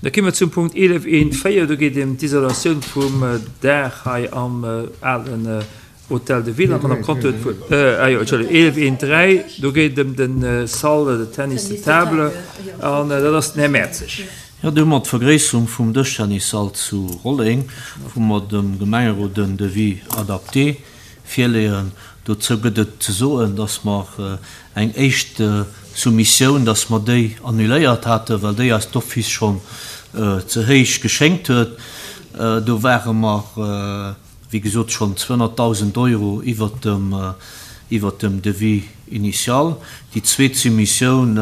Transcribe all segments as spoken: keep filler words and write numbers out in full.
Da komme mer zum Punkt eelef eent véier, do geet ëm d'Isolatioun vum Daach hei am alen Hôtel de Ville. An d'Madame Conter huet d'Wuert. Ah jo, Entschëllegung, eelef eent dräi, do geet et ëm de Salle de tennis de table an dat ass den Här Mertzig. Jo, do hu mer d'Vergréisserung vum Dëschtennissall zu Rolleng, wou mer dem Gemengerot en Devis adapté virleeën. Dozou gëtt et ze soen, dass mer eng éischt Soumissioun, dass mer déi annuléiert haten, well déi eis d'office schonn ze héich geschéngt huet. Do ware mer, wéi gesot, schonn zweehonnertdausend Euro iwwert dem, iwwert dem Devis initial. Déi zweet Soumissioun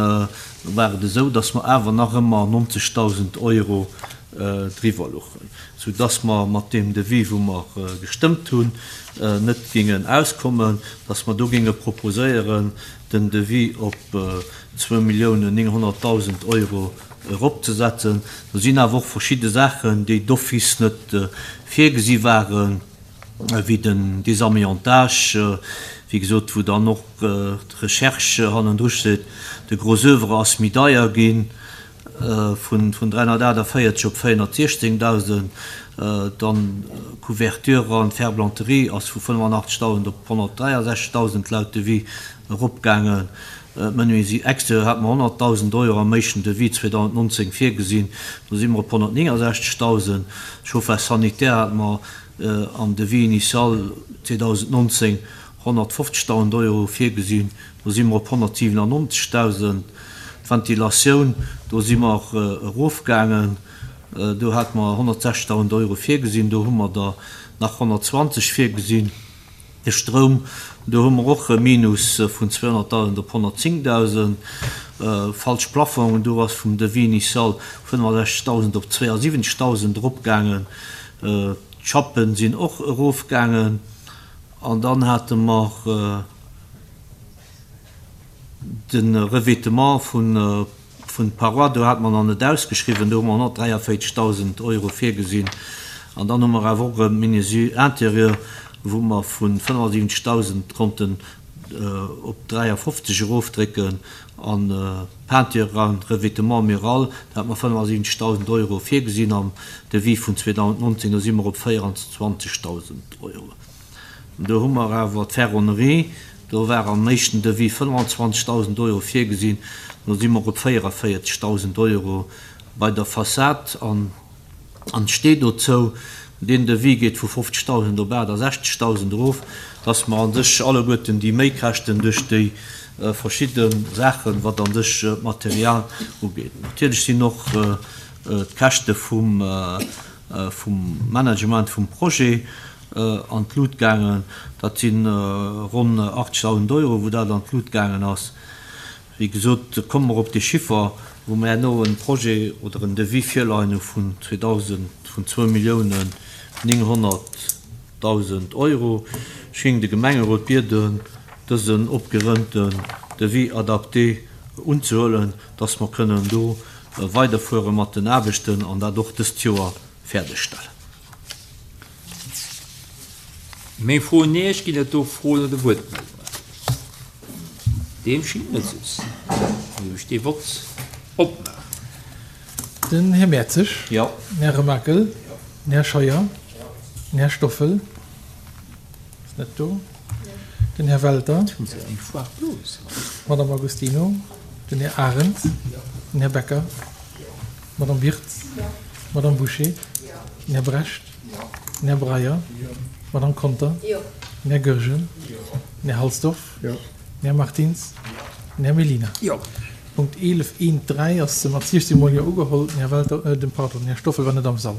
war et esou, dass mer awer nach ëmmer nonzegdausend Euro driwwer luchen, soudass mer mat deem Devis, wou mer gestëmmt hunn, net géingen auskommen, dass mer do géinge proposéieren, den Devis op zwou Milliounen nénghonnertdausend Euro eropzesetzen. Do sinn awer och verschidde Saachen, déi d'office net virgesi waren, wéi den Désamiantage, wéi gesot, wou dann och d'Recherche hannendru steet. De Gros oeuvre ass méi deier ginn, vun dräihonnertaachtavéierzeg op véierhonnertsiechzéngdausend, dann d'Couverture an d'Ferblanterie ass vu fënnefanachtezegdausend op honnertdräiasechzegdausend laut Devis eropgaangen. D'Menuiserie extérieure hate mer honnertdausend Euro am éischten Devis zweedausendnonzéng virgesinn, do si mer op honnertnéngasechzegdausend. Chauffage sanitaire hate mer am Devis initial zweedausendnonzéng honnertfofzegdausend Euro virgesinn, do si mer op honnertsiwenannonzegdausend. D'Ventilatioun, do si mer erofgaangen, do hate mer honnertsechzegdausend Euro virgesinn, do hu mer der nach honnertzwanzeg virgesinn. De Stroum, do hu mer och e Minus vun zweehonnertdausend op honnertzéngdausend. Falsch Plafongen, do ass vum Devis initial fënnefasechzegdausend op zweeasiwwenzegdausend eropgaangen. D'Schappen sinn och erofgaangen. An dann hate mer de Revêtement vun Paroi, do hate mer nach net ausgeschriwwen, do hu mer honnertdräiavéierzegdausend Euro virgesinn. An dann hu mer awer och e Menuiserie intérieure, wou mer vu fënnefasiwwenzegdausend konnten op dräiafofzeg erofdrécken. An Peinture an Revêtement mural, do hate mer fënnefasiwwenzegdausend Euro virgesinn am Devis vun zweedausendnonzéng, do si mer op véieranzwanzegdausend Euro. Do hu mer awer d'Ferronnerie, do war am éischten Devis fënnefazwanzegdausend Euro virgesinn, do si mer op véierevéierzegdausend Euro bei der Fassad. An an steet dozou, deen Devis geet vu fofzegdausend op aachtasechzegdausend erof, dass mer an sech alleguerten déi Méikäschten duerch déi verschidde Saachen, wat an sech d'Material ugeet. Natierlech sinn och d'Käschte vum vum Management vum Projet an d'Lut gaangen. Dat si ronn achtzegdausend Euro, wou dat an d'Lut gaangen ass. Wéi gesot, komme mer op dee Chiffer, wou mer herno e Projet oder en Devis virleien hu vun zweedausend, vun zwou Milliounen nénghonnertdausend Euro. Ech géing de Gemengerot bieden, dësen opgerënnten Devis adapté unzehuelen, dass mer kënnen do weiderfuere mat den Aarbechten an dat och dëst Joer fäerdegstellen. Meng Fro un Iech, Ginn et do Froen oder Wuertmeldungen? Deem schéngt net esou ze sinn. Da géif ech dee Vott opmaachen. Den Här Mertzig. Jo. Den Här Remakel. Den Här Scheuer. Den Här Stoffel. Ass net do. Den Här Welter. D'Madame Agostino. Den Här Arendt. Den Här Becker. D'Madame Wirtz. D'Madame Bouché. Den Här Brecht. Den Här Breyer. D'Madame Conter. Den Här Goergen. Den Här Halsdorf. Den Här Martins. Den Här Mellina. Punkt eelef eent dräi ass mat siechzehn Mol Jo ugeholl. Den Här Welter, den, pardon, den Här Stoffel war net am Sall.